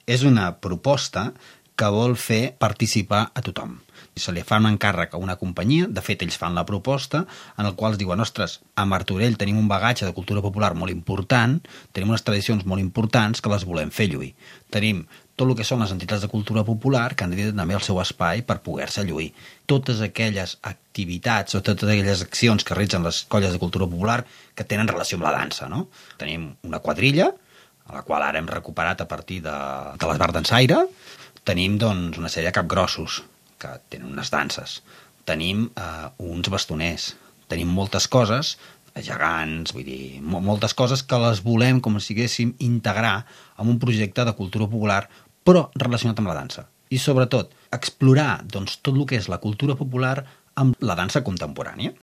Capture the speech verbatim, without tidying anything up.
És una proposta que vol fer participar a tothom. Se li fa un encàrrec a una companyia, de fet ells fan la proposta, en el qual es diuen, ostres, a Martorell tenim un bagatge de cultura popular molt important, tenim unes tradicions molt importants que les volem fer lluir. Tenim tot el que són les entitats de cultura popular que han de tenir també el seu espai per poder-se lluir. Totes aquelles activitats o totes aquelles accions que realitzen les colles de cultura popular que tenen relació amb la dansa, no? Tenim una quadrilla, a la qual ara hem recuperat a partir de, de l'Esbar d'Ensaire. Tenim doncs, una sèrie de capgrossos que tenen unes danses. Tenim eh, uns bastoners. Tenim moltes coses, gegants, vull dir, moltes coses que les volem, com si diguéssim, integrar en un projecte de cultura popular, però relacionat amb la dansa. I sobretot, explorar doncs, tot el que és la cultura popular amb la dansa contemporània.